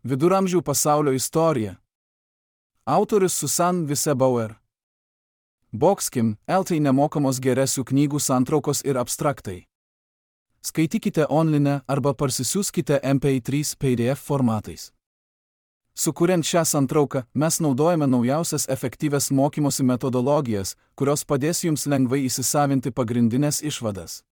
Viduramžių pasaulio istorija. Autorius Susan Vissebauer. Boxkim, LT nemokamos geresių knygų santraukos ir abstraktai. Skaitykite online arba parsisiųskite MP3 PDF formatais. Sukuriant šią santrauką, mes naudojame naujausias efektyvias mokymosi metodologijas, kurios padės jums lengvai įsisavinti pagrindinės išvadas.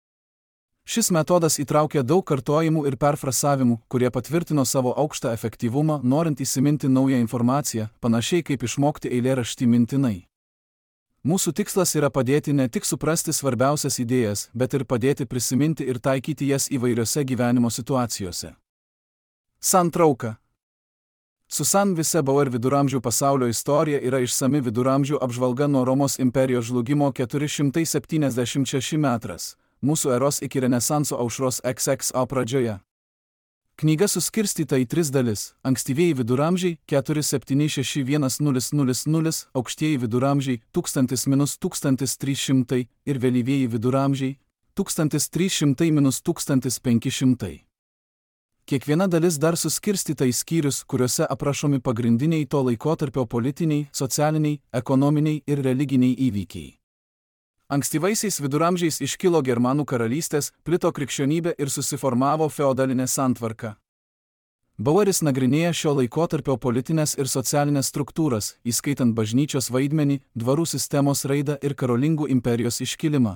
Šis metodas įtraukia daug kartojimų ir perfrasavimų, kurie patvirtino savo aukštą efektyvumą, norint įsiminti naują informaciją, panašiai kaip išmokti eilėraštį mintinai. Mūsų tikslas yra padėti ne tik suprasti svarbiausias idėjas, bet ir padėti prisiminti ir taikyti jas įvairiose gyvenimo situacijose. Santrauka. Susan Vissebauer Viduramžių pasaulio istorija yra išsami viduramžių apžvalga nuo Romos imperijos žlugimo 476 metras. Mūsų eros iki Renesanso aušros XXO pradžioje. Knyga suskirstyta į 3 dalis – ankstyvieji viduramžiai 476-1000, aukštieji viduramžiai 1000-1300 ir vėlyvieji viduramžiai 1300-1500. Kiekviena dalis dar suskirstyta į skyrius, kuriuose aprašomi pagrindiniai to laikotarpio politiniai, socialiniai, ekonominiai ir religiniai įvykiai. Ankstyvaisiais viduramžiais iškilo Germanų karalystės, plito krikščionybė ir susiformavo feodalinė santvarka. Baueris nagrinėja šio laikotarpio politinės ir socialinės struktūras, įskaitant bažnyčios vaidmenį, dvarų sistemos raidą ir karolingų imperijos iškilimą.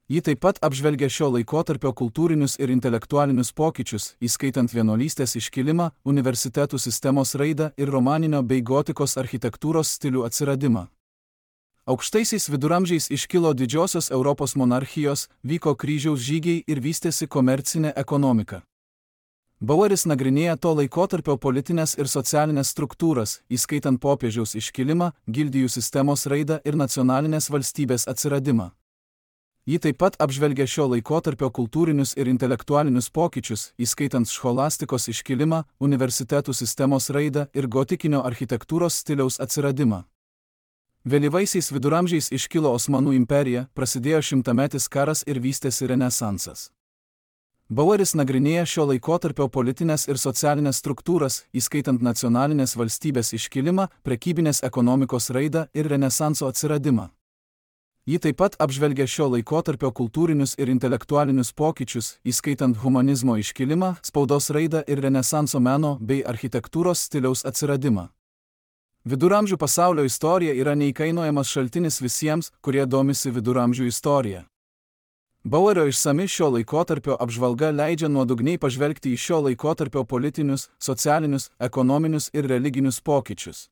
Ji taip pat apžvelgia šio laikotarpio kultūrinius ir intelektualinius pokyčius, įskaitant vienuolystės iškilimą, universitetų sistemos raidą ir romaninio bei gotikos architektūros stilių atsiradimą. Aukštaisiais viduramžiais iškilo didžiosios Europos monarchijos, vyko kryžiaus žygiai ir vystėsi komercinė ekonomika. Baueris nagrinėja to laikotarpio politinės ir socialinės struktūras, įskaitant popiežiaus iškilimą, gildijų sistemos raidą ir nacionalinės valstybės atsiradimą. Ji taip pat apžvelgia šio laikotarpio kultūrinius ir intelektualinius pokyčius, įskaitant scholastikos iškilimą, universitetų sistemos raidą ir gotikinio architektūros stiliaus atsiradimą. Vėlyvaisiais viduramžiais iškilo Osmanų imperija, prasidėjo šimtametis karas ir vystėsi Renesansas. Baueris nagrinėja šio laikotarpio politinės ir socialinės struktūras, įskaitant nacionalinės valstybės iškilimą, prekybinės ekonomikos raidą ir Renesanso atsiradimą. Ji taip pat apžvelgia šio laikotarpio kultūrinius ir intelektualinius pokyčius, įskaitant humanizmo iškilimą, spaudos raidą ir Renesanso meno bei architektūros stiliaus atsiradimą. Viduramžių pasaulio istorija yra neįkainojamas šaltinis visiems, kurie domisi viduramžių istorija. Bauerio išsami šio laikotarpio apžvalga leidžia nuodugniai pažvelgti į šio laikotarpio politinius, socialinius, ekonominius ir religinius pokyčius.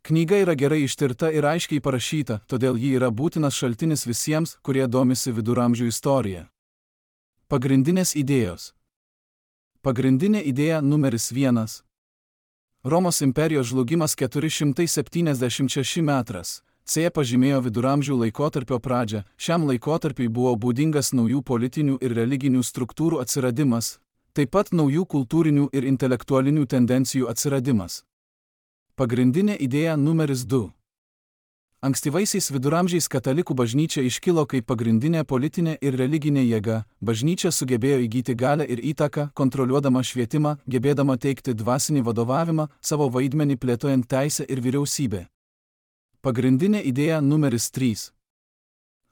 Knyga yra gerai ištirta ir aiškiai parašyta, todėl ji yra būtinas šaltinis visiems, kurie domisi viduramžių istorija. Pagrindinės idėjos. Pagrindinė idėja numeris 1. Romos imperijos žlugimas 476 metras. C pažymėjo viduramžių laikotarpio pradžią. Šiam laikotarpiui buvo būdingas naujų politinių ir religinių struktūrų atsiradimas, taip pat naujų kultūrinių ir intelektualinių tendencijų atsiradimas. Pagrindinė idėja numeris 2. Ankstyvaisiais viduramžiais katalikų bažnyčia iškilo kaip pagrindinė politinė ir religinė jėga. Bažnyčia sugebėjo įgyti galią ir įtaką, kontroliuodama švietimą, gebėdama teikti dvasinį vadovavimą, savo vaidmenį plėtojant teisę ir vyriausybę. Pagrindinė idėja numeris 3.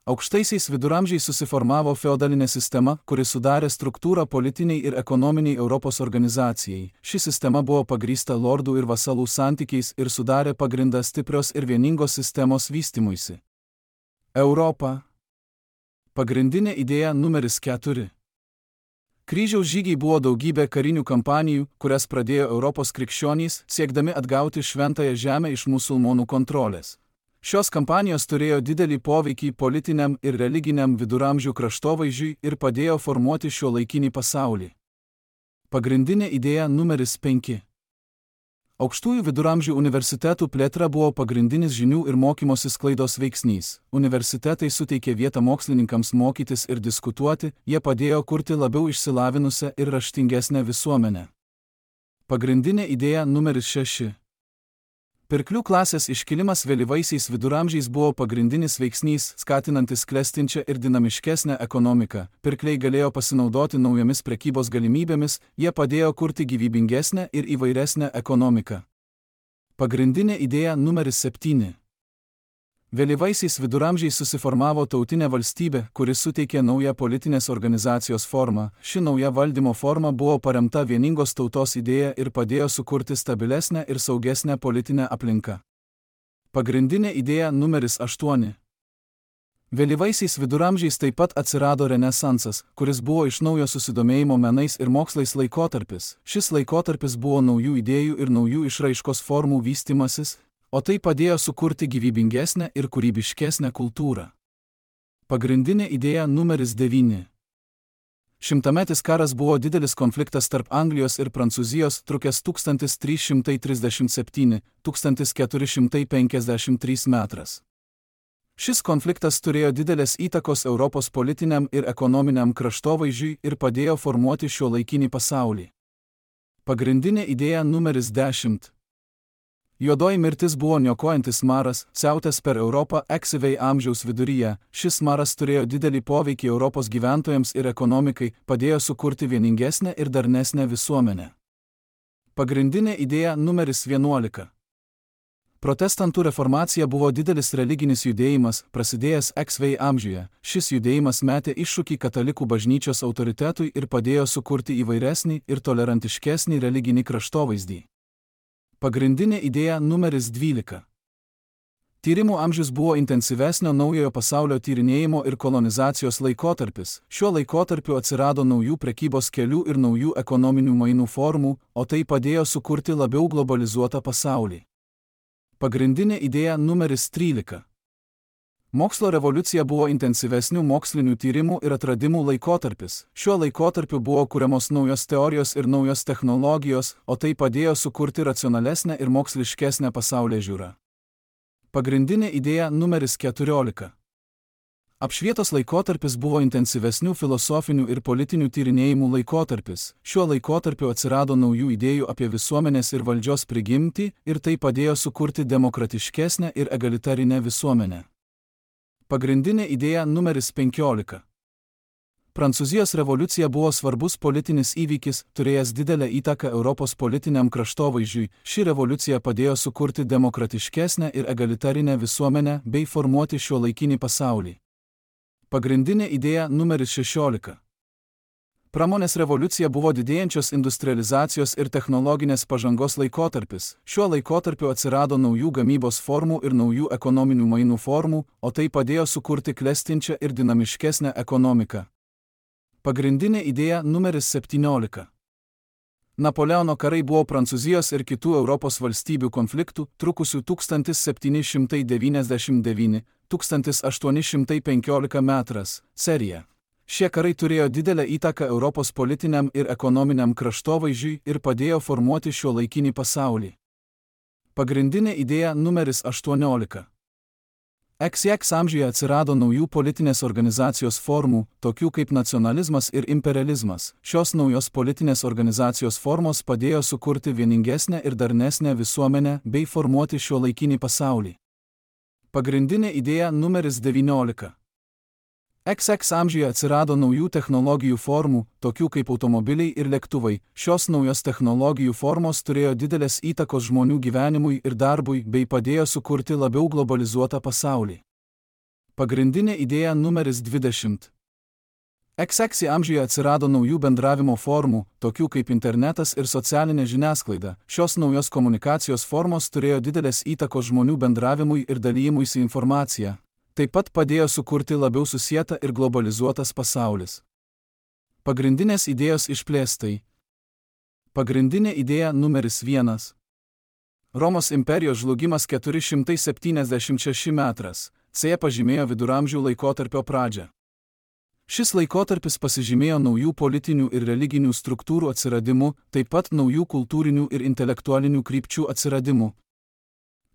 Aukštaisiais viduramžiais susiformavo feodalinė sistema, kuri sudarė struktūrą politiniai ir ekonominiai Europos organizacijai. Ši sistema buvo pagrįsta lordų ir vasalų santykiais ir sudarė pagrindą stiprios ir vieningos sistemos vystymuisi. Europa. Pagrindinė idėja numeris 4. Kryžiaus žygiai buvo daugybė karinių kampanijų, kurias pradėjo Europos krikščionys, siekdami atgauti šventąją žemę iš musulmonų kontrolės. Šios kampanijos turėjo didelį poveikį politiniam ir religiniam viduramžių kraštovaizdžiui ir padėjo formuoti šiuolaikinį pasaulį. Pagrindinė idėja numeris 5. Aukštųjų viduramžių universitetų plėtra buvo pagrindinis žinių ir mokymosi sklaidos veiksnys. Universitetai suteikė vietą mokslininkams mokytis ir diskutuoti, jie padėjo kurti labiau išsilavinusią ir raštingesnę visuomenę. Pagrindinė idėja numeris 6. Pirklių klasės iškilimas vėlyvaisiais viduramžiais buvo pagrindinis veiksnys, skatinantis klestinčią ir dinamiškesnę ekonomiką. Pirkliai galėjo pasinaudoti naujomis prekybos galimybėmis, jie padėjo kurti gyvybingesnę ir įvairesnę ekonomiką. Pagrindinė idėja numeris 7. Vėlyvaisiais viduramžiais susiformavo tautinė valstybė, kuri suteikė naują politinės organizacijos formą. Ši nauja valdymo forma buvo paremta vieningos tautos idėja ir padėjo sukurti stabilesnę ir saugesnę politinę aplinką. Pagrindinė idėja numeris 8. Vėlyvaisiais viduramžiais taip pat atsirado Renesansas, kuris buvo iš naujo susidomėjimo menais ir mokslais laikotarpis. Šis laikotarpis buvo naujų idėjų ir naujų išraiškos formų vystymasis, o tai padėjo sukurti gyvybingesnę ir kūrybiškesnę kultūrą. Pagrindinė idėja numeris 9. Šimtametis karas buvo didelis konfliktas tarp Anglijos ir Prancūzijos, trukęs 1337–1453 metras. Šis konfliktas turėjo didelės įtakos Europos politiniam ir ekonominiam kraštovaizdžiui ir padėjo formuoti šiuolaikinį pasaulį. Pagrindinė idėja numeris 10. Juodoji mirtis buvo niokojantis maras, siautęs per Europą ankstyvai amžiaus viduryje. Šis maras turėjo didelį poveikį Europos gyventojams ir ekonomikai, padėjo sukurti vieningesnę ir darnesnę visuomenę. Pagrindinė idėja numeris 11. Protestantų reformacija buvo didelis religinis judėjimas, prasidėjęs ankstyvai amžiuje. Šis judėjimas metė iššūkį katalikų bažnyčios autoritetui ir padėjo sukurti įvairesnį ir tolerantiškesnį religinį kraštovaizdį. Pagrindinė idėja numeris 12. Tyrimų amžius buvo intensyvesnio naujojo pasaulio tyrinėjimo ir kolonizacijos laikotarpis. Šiuo laikotarpiu atsirado naujų prekybos kelių ir naujų ekonominių mainų formų, o tai padėjo sukurti labiau globalizuotą pasaulį. Pagrindinė idėja numeris 13. Mokslo revoliucija buvo intensyvesnių mokslinių tyrimų ir atradimų laikotarpis. Šiuo laikotarpiu buvo kuriamos naujos teorijos ir naujos technologijos, o tai padėjo sukurti racionalesnę ir moksliškesnę pasaulėžiūrą. Pagrindinė idėja numeris 14. Apšvietos laikotarpis buvo intensyvesnių filosofinių ir politinių tyrinėjimų laikotarpis. Šiuo laikotarpiu atsirado naujų idėjų apie visuomenės ir valdžios prigimtį ir tai padėjo sukurti demokratiškesnę ir egalitarinę visuomenę. Pagrindinė idėja numeris 15. Prancūzijos revoliucija buvo svarbus politinis įvykis, turėjęs didelę įtaką Europos politiniam kraštovaizdžiui. Ši revoliucija padėjo sukurti demokratiškesnę ir egalitarinę visuomenę bei formuoti šiuolaikinį pasaulį. Pagrindinė idėja numeris 16. Pramonės revoliucija buvo didėjančios industrializacijos ir technologinės pažangos laikotarpis. Šiuo laikotarpiu atsirado naujų gamybos formų ir naujų ekonominių mainų formų, o tai padėjo sukurti klestinčią ir dinamiškesnę ekonomiką. Pagrindinė idėja numeris 17. Napoleono karai buvo Prancūzijos ir kitų Europos valstybių konfliktų, trukusių 1799–1815 metras serija. Šie karai turėjo didelę įtaką Europos politiniam ir ekonominiam kraštovaizdžiui ir padėjo formuoti šiuolaikinį pasaulį. Pagrindinė idėja numeris 18. XX amžiuje atsirado naujų politinės organizacijos formų, tokių kaip nacionalizmas ir imperializmas. Šios naujos politinės organizacijos formos padėjo sukurti vieningesnę ir darnesnę visuomenę bei formuoti šiuolaikinį pasaulį. Pagrindinė idėja numeris 19. XX amžiuje atsirado naujų technologijų formų, tokių kaip automobiliai ir lėktuvai. Šios naujos technologijų formos turėjo didelės įtakos žmonių gyvenimui ir darbui bei padėjo sukurti labiau globalizuotą pasaulį. Pagrindinė idėja numeris 20. XX amžiuje atsirado naujų bendravimo formų, tokių kaip internetas ir socialinė žiniasklaida. Šios naujos komunikacijos formos turėjo didelės įtakos žmonių bendravimui ir dalyjimuisi informacija. Taip pat padėjo sukurti labiau susietą ir globalizuotas pasaulis. Pagrindinės idėjos išplėstai. Pagrindinė idėja numeris 1. Romos imperijos žlugimas 476 metras. C pažymėjo viduramžių laikotarpio pradžią. Šis laikotarpis pasižymėjo naujų politinių ir religinių struktūrų atsiradimu, taip pat naujų kultūrinių ir intelektualinių krypčių atsiradimu.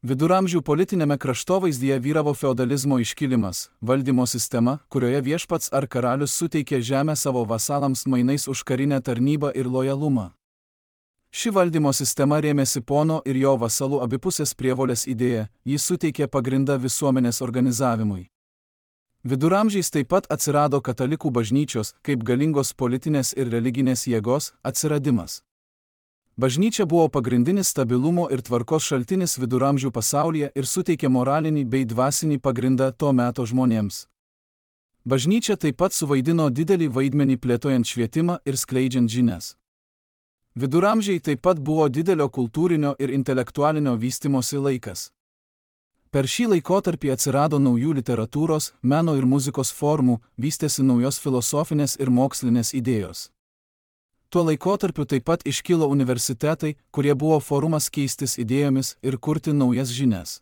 Viduramžių politinėme kraštovaizdyje vyravo feodalizmo iškilimas, valdymo sistema, kurioje viešpats ar karalius suteikė žemę savo vasalams mainais už karinę tarnybą ir lojalumą. Ši valdymo sistema rėmėsi pono ir jo vasalų abipusės prievolės idėja, ji suteikė pagrindą visuomenės organizavimui. Viduramžiais taip pat atsirado katalikų bažnyčios, kaip galingos politinės ir religinės jėgos, atsiradimas. Bažnyčia buvo pagrindinis stabilumo ir tvarkos šaltinis viduramžių pasaulyje ir suteikė moralinį bei dvasinį pagrindą to meto žmonėms. Bažnyčia taip pat suvaidino didelį vaidmenį plėtojant švietimą ir skleidžiant žinias. Viduramžiai taip pat buvo didelio kultūrinio ir intelektualinio vystimosi laikas. Per šį laikotarpį atsirado naujų literatūros, meno ir muzikos formų, vystėsi naujos filosofinės ir mokslinės idėjos. Tuo laikotarpiu taip pat iškilo universitetai, kurie buvo forumas keistis idėjomis ir kurti naujas žinias.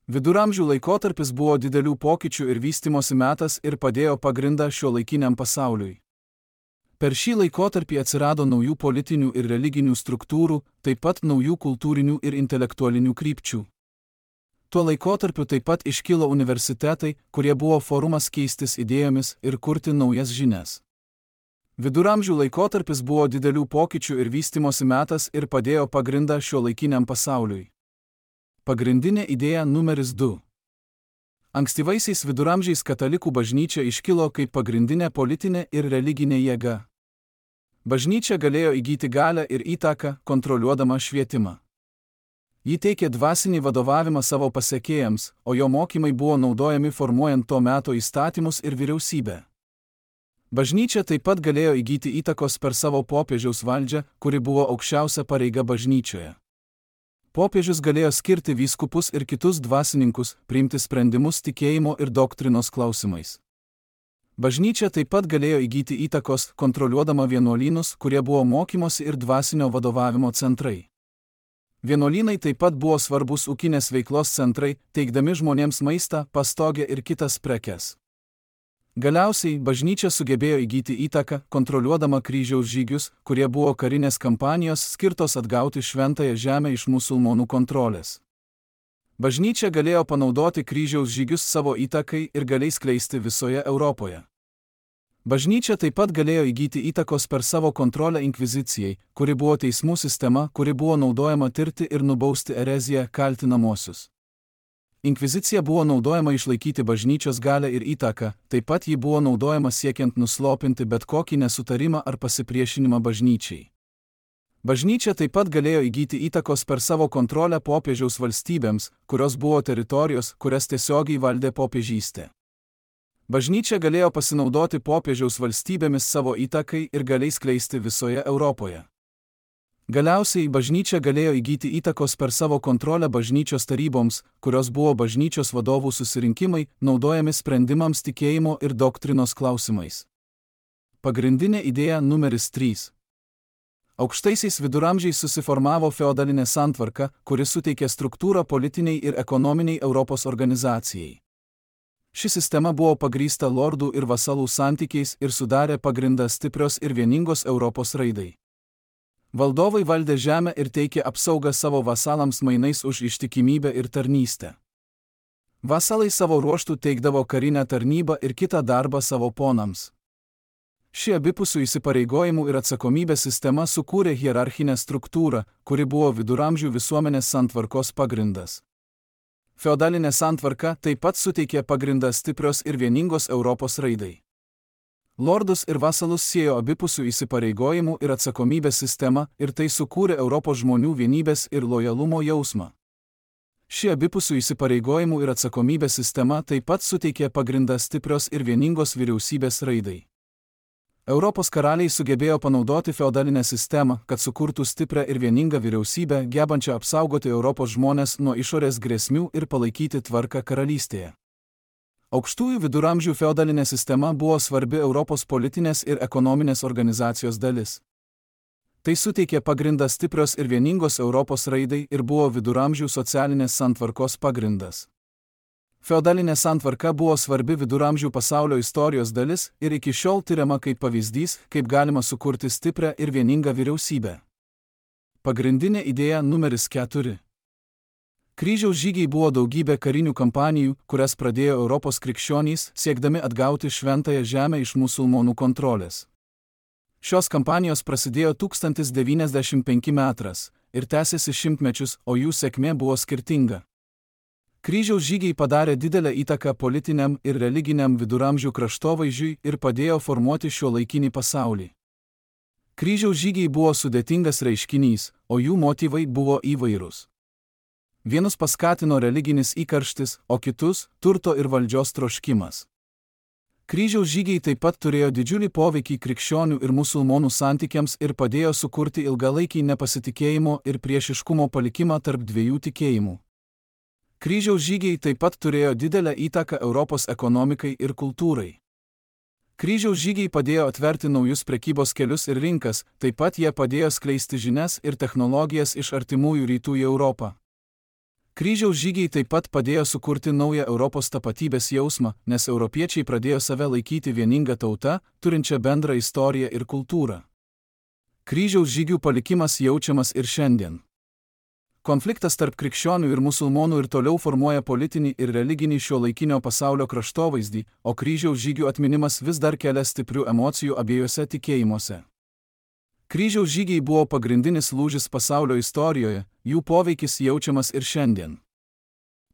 Viduramžių laikotarpis buvo didelių pokyčių ir vystimosi metas ir padėjo pagrindą šiuolaikiniam pasauliui. Per šį laikotarpį atsirado naujų politinių ir religinių struktūrų, taip pat naujų kultūrinių ir intelektualinių krypčių. Tuo laikotarpiu taip pat iškilo universitetai, kurie buvo forumas keistis idėjomis ir kurti naujas žinias. Viduramžių laikotarpis buvo didelių pokyčių ir vystimosi metas ir padėjo pagrindą šiuolaikiniam pasauliui. Pagrindinė idėja numeris 2. Ankstyvaisiais viduramžiais katalikų bažnyčia iškilo kaip pagrindinė politinė ir religinė jėga. Bažnyčia galėjo įgyti galią ir įtaką, kontroliuodama švietimą. Ji teikė dvasinį vadovavimą savo pasekėjams, o jo mokymai buvo naudojami formuojant to meto įstatymus ir vyriausybę. Bažnyčia taip pat galėjo įgyti įtakos per savo popiežiaus valdžią, kuri buvo aukščiausia pareiga bažnyčioje. Popiežius galėjo skirti vyskupus ir kitus dvasininkus, priimti sprendimus tikėjimo ir doktrinos klausimais. Bažnyčia taip pat galėjo įgyti įtakos, kontroliuodama vienuolynus, kurie buvo mokymosi ir dvasinio vadovavimo centrai. Vienuolynai taip pat buvo svarbus ūkinės veiklos centrai, teikdami žmonėms maistą, pastogę ir kitas prekes. Galiausiai, bažnyčia sugebėjo įgyti įtaką, kontroliuodama kryžiaus žygius, kurie buvo karinės kampanijos skirtos atgauti šventąją žemę iš musulmonų kontrolės. Bažnyčia galėjo panaudoti kryžiaus žygius savo įtakai ir galiai skleisti visoje Europoje. Bažnyčia taip pat galėjo įgyti įtakos per savo kontrolę inkvizicijai, kuri buvo teismų sistema, kuri buvo naudojama tirti ir nubausti ereziją kaltinamosius. Inkvizicija buvo naudojama išlaikyti bažnyčios galią ir įtaką, taip pat ji buvo naudojama siekiant nuslopinti bet kokį nesutarimą ar pasipriešinimą bažnyčiai. Bažnyčia taip pat galėjo įgyti įtakos per savo kontrolę popiežiaus valstybėms, kurios buvo teritorijos, kurias tiesiogiai valdė popiežystė. Bažnyčia galėjo pasinaudoti popiežiaus valstybėmis savo įtakai ir galiai skleisti visoje Europoje. Galiausiai bažnyčia galėjo įgyti įtakos per savo kontrolę bažnyčios taryboms, kurios buvo bažnyčios vadovų susirinkimai, naudojami sprendimams tikėjimo ir doktrinos klausimais. Pagrindinė idėja numeris 3. Aukštaisiais viduramžiais susiformavo feodalinė santvarka, kuri suteikė struktūrą politiniai ir ekonominiai Europos organizacijai. Ši sistema buvo pagrįsta lordų ir vasalų santykiais ir sudarė pagrindą stiprios ir vieningos Europos raidai. Valdovai valdė žemę ir teikė apsaugą savo vasalams mainais už ištikimybę ir tarnystę. Vasalai savo ruožtų teikdavo karinę tarnybą ir kitą darbą savo ponams. Ši abipusių įsipareigojimų ir atsakomybės sistema sukūrė hierarchinę struktūrą, kuri buvo viduramžių visuomenės santvarkos pagrindas. Feodalinė santvarka taip pat suteikė pagrindą stiprios ir vieningos Europos raidai. Lordus ir vasalus siejo abipusių įsipareigojimų ir atsakomybės sistema ir tai sukūrė Europos žmonių vienybės ir lojalumo jausmą. Ši abipusių įsipareigojimų ir atsakomybės sistema taip pat suteikė pagrindą stiprios ir vieningos vyriausybės raidai. Europos karaliai sugebėjo panaudoti feodalinę sistemą, kad sukurtų stiprią ir vieningą vyriausybę, gebančią apsaugoti Europos žmones nuo išorės grėsmių ir palaikyti tvarką karalystėje. Aukštųjų viduramžių feodalinė sistema buvo svarbi Europos politinės ir ekonominės organizacijos dalis. Tai suteikė pagrindą stiprios ir vieningos Europos raidai ir buvo viduramžių socialinės santvarkos pagrindas. Feodalinė santvarka buvo svarbi viduramžių pasaulio istorijos dalis ir iki šiol tiriama kaip pavyzdys, kaip galima sukurti stiprią ir vieningą vyriausybę. Pagrindinė idėja numeris 4. Kryžiaus žygiai buvo daugybė karinių kampanijų, kurias pradėjo Europos krikščionys, siekdami atgauti šventąją žemę iš musulmonų kontrolės. Šios kampanijos prasidėjo 1095 metras ir tęsėsi šimtmečius, o jų sėkmė buvo skirtinga. Kryžiaus žygiai padarė didelę įtaką politiniam ir religiniam viduramžių kraštovaizdžiui ir padėjo formuoti šiuolaikinį pasaulį. Kryžiaus žygiai buvo sudėtingas reiškinys, o jų motyvai buvo įvairūs. Vienus paskatino religinis įkarštis, o kitus – turto ir valdžios troškimas. Kryžiaus žygiai taip pat turėjo didžiulį poveikį krikščionių ir musulmonų santykiams ir padėjo sukurti ilgalaikį nepasitikėjimo ir priešiškumo palikimą tarp dviejų tikėjimų. Kryžiaus žygiai taip pat turėjo didelę įtaką Europos ekonomikai ir kultūrai. Kryžiaus žygiai padėjo atverti naujus prekybos kelius ir rinkas, taip pat jie padėjo skleisti žinias ir technologijas iš artimųjų rytų į Europą. Kryžiaus žygiai taip pat padėjo sukurti naują Europos tapatybės jausmą, nes europiečiai pradėjo save laikyti vieninga tauta, turinčia bendrą istoriją ir kultūrą. Kryžiaus žygių palikimas jaučiamas ir šiandien. Konfliktas tarp krikščionių ir musulmonų ir toliau formuoja politinį ir religinį šiuolaikinio pasaulio kraštovaizdį, o kryžiaus žygių atminimas vis dar kelia stiprių emocijų abiejose tikėjimuose. Kryžiaus žygiai buvo pagrindinis lūžis pasaulio istorijoje, jų poveikis jaučiamas ir šiandien.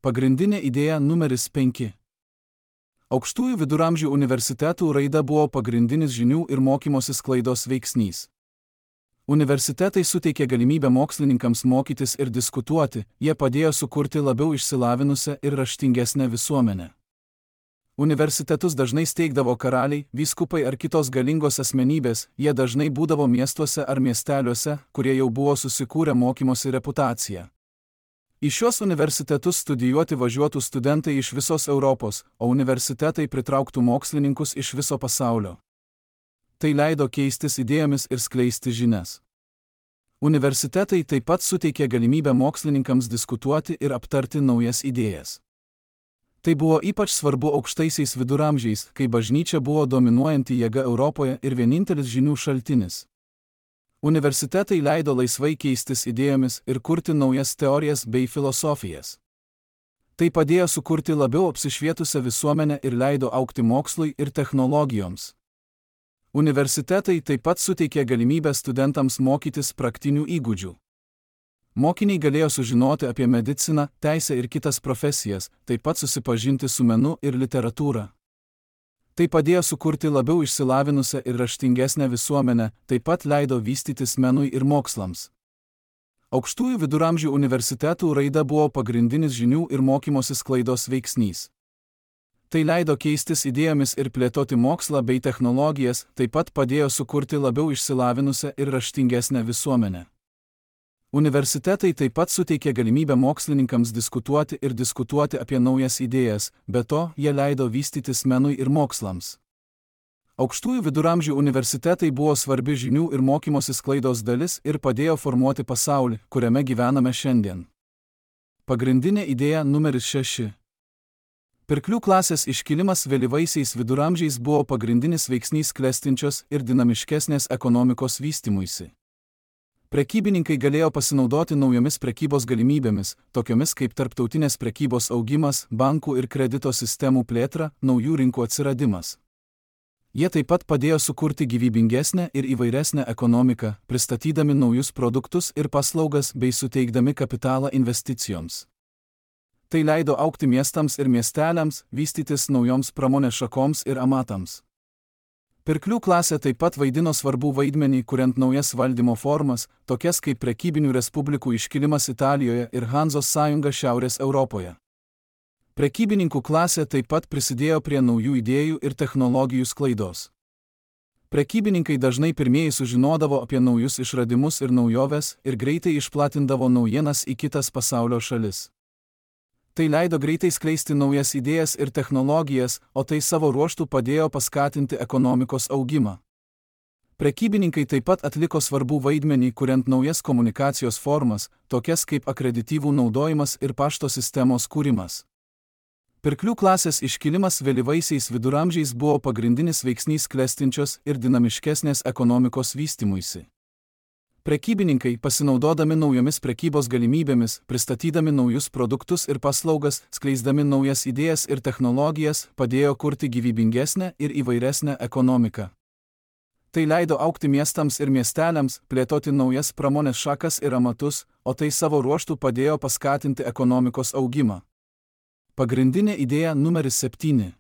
Pagrindinė idėja numeris 5. Aukštųjų viduramžių universitetų raida buvo pagrindinis žinių ir mokymosi sklaidos veiksnys. Universitetai suteikė galimybę mokslininkams mokytis ir diskutuoti, jie padėjo sukurti labiau išsilavinusią ir raštingesnę visuomenę. Universitetus dažnai steigdavo karaliai, vyskupai ar kitos galingos asmenybės, jie dažnai būdavo miestuose ar miesteliuose, kurie jau buvo susikūrę mokymosi reputaciją. Į šios universitetus studijuoti važiuotų studentai iš visos Europos, o universitetai pritrauktų mokslininkus iš viso pasaulio. Tai leido keistis idėjomis ir skleisti žinias. Universitetai taip pat suteikė galimybę mokslininkams diskutuoti ir aptarti naujas idėjas. Tai buvo ypač svarbu aukštaisiais viduramžiais, kai bažnyčia buvo dominuojanti jėga Europoje ir vienintelis žinių šaltinis. Universitetai leido laisvai keistis idėjomis ir kurti naujas teorijas bei filosofijas. Tai padėjo sukurti labiau apsišvietusią visuomenę ir leido augti mokslui ir technologijoms. Universitetai taip pat suteikė galimybę studentams mokytis praktinių įgūdžių. Mokiniai galėjo sužinoti apie mediciną, teisę ir kitas profesijas, taip pat susipažinti su menu ir literatūra. Tai padėjo sukurti labiau išsilavinusią ir raštingesnę visuomenę, taip pat leido vystytis menui ir mokslams. Aukštųjų viduramžių universitetų raida buvo pagrindinis žinių ir mokymosi sklaidos veiksnys. Tai leido keistis idėjomis ir plėtoti mokslą bei technologijas, taip pat padėjo sukurti labiau išsilavinusią ir raštingesnę visuomenę. Universitetai taip pat suteikė galimybę mokslininkams diskutuoti apie naujas idėjas, be to jie leido vystytis menui ir mokslams. Aukštųjų viduramžių universitetai buvo svarbi žinių ir mokymosi sklaidos dalis ir padėjo formuoti pasaulį, kuriame gyvename šiandien. Pagrindinė idėja numeris 6. Pirklių klasės iškilimas vėlyvaisiais viduramžiais buvo pagrindinis veiksnys klestinčios ir dinamiškesnės ekonomikos vystymuisi. Prekybininkai galėjo pasinaudoti naujomis prekybos galimybėmis, tokiomis kaip tarptautinės prekybos augimas, bankų ir kredito sistemų plėtra, naujų rinkų atsiradimas. Jie taip pat padėjo sukurti gyvybingesnę ir įvairesnę ekonomiką, pristatydami naujus produktus ir paslaugas bei suteikdami kapitalą investicijoms. Tai leido augti miestams ir miesteliams, vystytis naujoms pramonės šakoms ir amatams. Pirklių klasė taip pat vaidino svarbų vaidmenį, kuriant naujas valdymo formas, tokias kaip prekybinių respublikų iškilimas Italijoje ir Hanzos sąjunga Šiaurės Europoje. Prekybininkų klasė taip pat prisidėjo prie naujų idėjų ir technologijų sklaidos. Prekybininkai dažnai pirmieji sužinodavo apie naujus išradimus ir naujoves ir greitai išplatindavo naujienas į kitas pasaulio šalis. Tai leido greitai skleisti naujas idėjas ir technologijas, o tai savo ruožtu padėjo paskatinti ekonomikos augimą. Prekybininkai taip pat atliko svarbų vaidmenį, kuriant naujas komunikacijos formas, tokias kaip akredityvų naudojimas ir pašto sistemos kūrimas. Pirklių klasės iškilimas vėlyvaisiais viduramžiais buvo pagrindinis veiksnys klestinčios ir dinamiškesnės ekonomikos vystymuisi. Prekybininkai, pasinaudodami naujomis prekybos galimybėmis, pristatydami naujus produktus ir paslaugas, skleisdami naujas idėjas ir technologijas, padėjo kurti gyvybingesnę ir įvairesnę ekonomiką. Tai leido augti miestams ir miesteliams, plėtoti naujas pramonės šakas ir amatus, o tai savo ruožtu padėjo paskatinti ekonomikos augimą. Pagrindinė idėja numeris 7.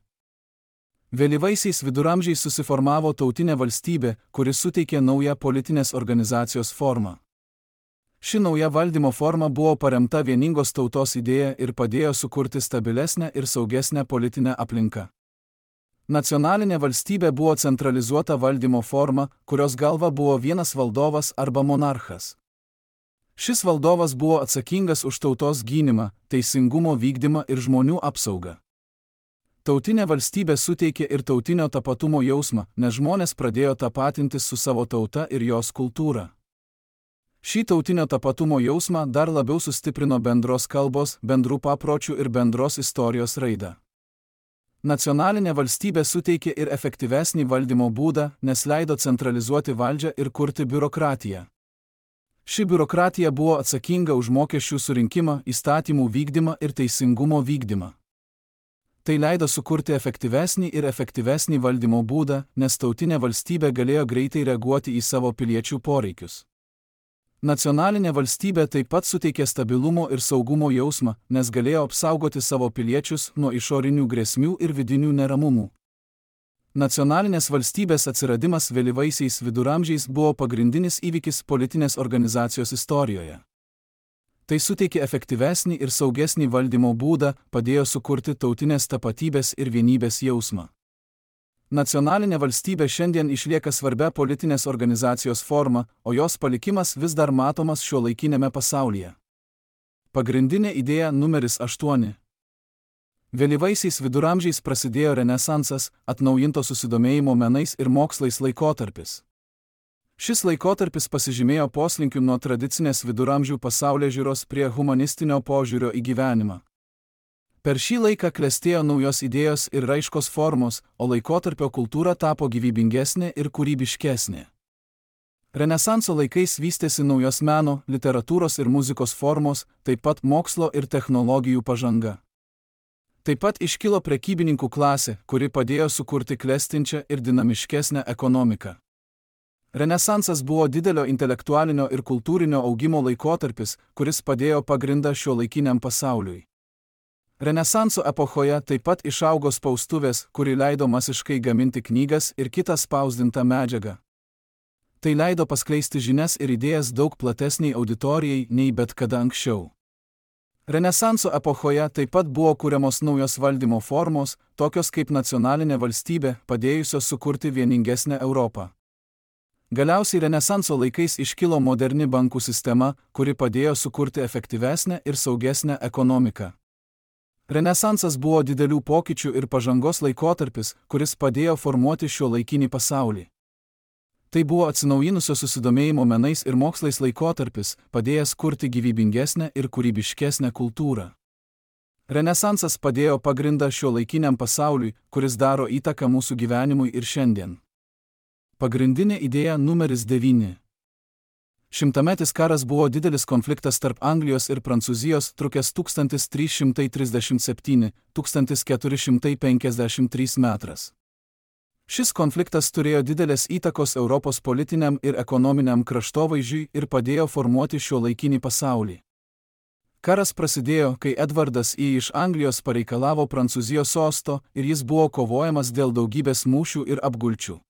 Vėlyvaisiais viduramžiais susiformavo tautinė valstybė, kuri suteikė naują politinės organizacijos formą. Ši nauja valdymo forma buvo paremta vieningos tautos idėja ir padėjo sukurti stabilesnę ir saugesnę politinę aplinką. Nacionalinė valstybė buvo centralizuota valdymo forma, kurios galva buvo vienas valdovas arba monarchas. Šis valdovas buvo atsakingas už tautos gynimą, teisingumo vykdymą ir žmonių apsaugą. Tautinė valstybė suteikė ir tautinio tapatumo jausmą, nes žmonės pradėjo tapatintis su savo tauta ir jos kultūra. Šį tautinio tapatumo jausmą dar labiau sustiprino bendros kalbos, bendrų papročių ir bendros istorijos raidą. Nacionalinė valstybė suteikė ir efektyvesnį valdymo būdą, nes leido centralizuoti valdžią ir kurti biurokratiją. Ši biurokratija buvo atsakinga už mokesčių surinkimą, įstatymų vykdymą ir teisingumo vykdymą. Tai leido sukurti efektyvesnį valdymo būdą, nes tautinė valstybė galėjo greitai reaguoti į savo piliečių poreikius. Nacionalinė valstybė taip pat suteikė stabilumo ir saugumo jausmą, nes galėjo apsaugoti savo piliečius nuo išorinių grėsmių ir vidinių neramumų. Nacionalinės valstybės atsiradimas vėlyvaisiais viduramžiais buvo pagrindinis įvykis politinės organizacijos istorijoje. Tai suteikė efektyvesnį ir saugesnį valdymo būdą, padėjo sukurti tautinės tapatybės ir vienybės jausmą. Nacionalinė valstybė šiandien išlieka svarbia politinės organizacijos forma, o jos palikimas vis dar matomas šiuolaikinėme pasaulyje. Pagrindinė idėja numeris 8. Vėlyvaisiais viduramžiais prasidėjo Renesansas, atnaujinto susidomėjimo menais ir mokslais laikotarpis. Šis laikotarpis pasižymėjo poslinkiu nuo tradicinės viduramžių pasaulėžiūros prie humanistinio požiūrio į gyvenimą. Per šį laiką klestėjo naujos idėjos ir raiškos formos, o laikotarpio kultūra tapo gyvybingesnė ir kūrybiškesnė. Renesanso laikais vystėsi naujos meno, literatūros ir muzikos formos, taip pat mokslo ir technologijų pažanga. Taip pat iškilo prekybininkų klasė, kuri padėjo sukurti klestinčią ir dinamiškesnę ekonomiką. Renesansas buvo didelio intelektualinio ir kultūrinio augimo laikotarpis, kuris padėjo pagrindą šiuolaikiniam pasauliui. Renesanso epochoje taip pat išaugo spaustuvės, kuri leido masiškai gaminti knygas ir kitą spausdintą medžiagą. Tai leido paskleisti žinias ir idėjas daug platesniai auditorijai nei bet kada anksčiau. Renesanso epochoje taip pat buvo kuriamos naujos valdymo formos, tokios kaip nacionalinė valstybė, padėjusios sukurti vieningesnę Europą. Galiausiai Renesanso laikais iškilo moderni bankų sistema, kuri padėjo sukurti efektyvesnę ir saugesnę ekonomiką. Renesansas buvo didelių pokyčių ir pažangos laikotarpis, kuris padėjo formuoti šiuolaikinį pasaulį. Tai buvo atsinaujinusio susidomėjimo menais ir mokslais laikotarpis, padėjęs kurti gyvybingesnę ir kūrybiškesnę kultūrą. Renesansas padėjo pagrindą šiuolaikiniam pasauliui, kuris daro įtaką mūsų gyvenimui ir šiandien. Pagrindinė idėja numeris 9. Šimtametis karas buvo didelis konfliktas tarp Anglijos ir Prancūzijos, trukęs 1337–1453 metras. Šis konfliktas turėjo didelės įtakos Europos politiniam ir ekonominiam kraštovaizdžiui ir padėjo formuoti šiuolaikinį pasaulį. Karas prasidėjo, kai Edvardas I iš Anglijos pareikalavo Prancūzijos sosto ir jis buvo kovojamas dėl daugybės mūšių ir apgulčių.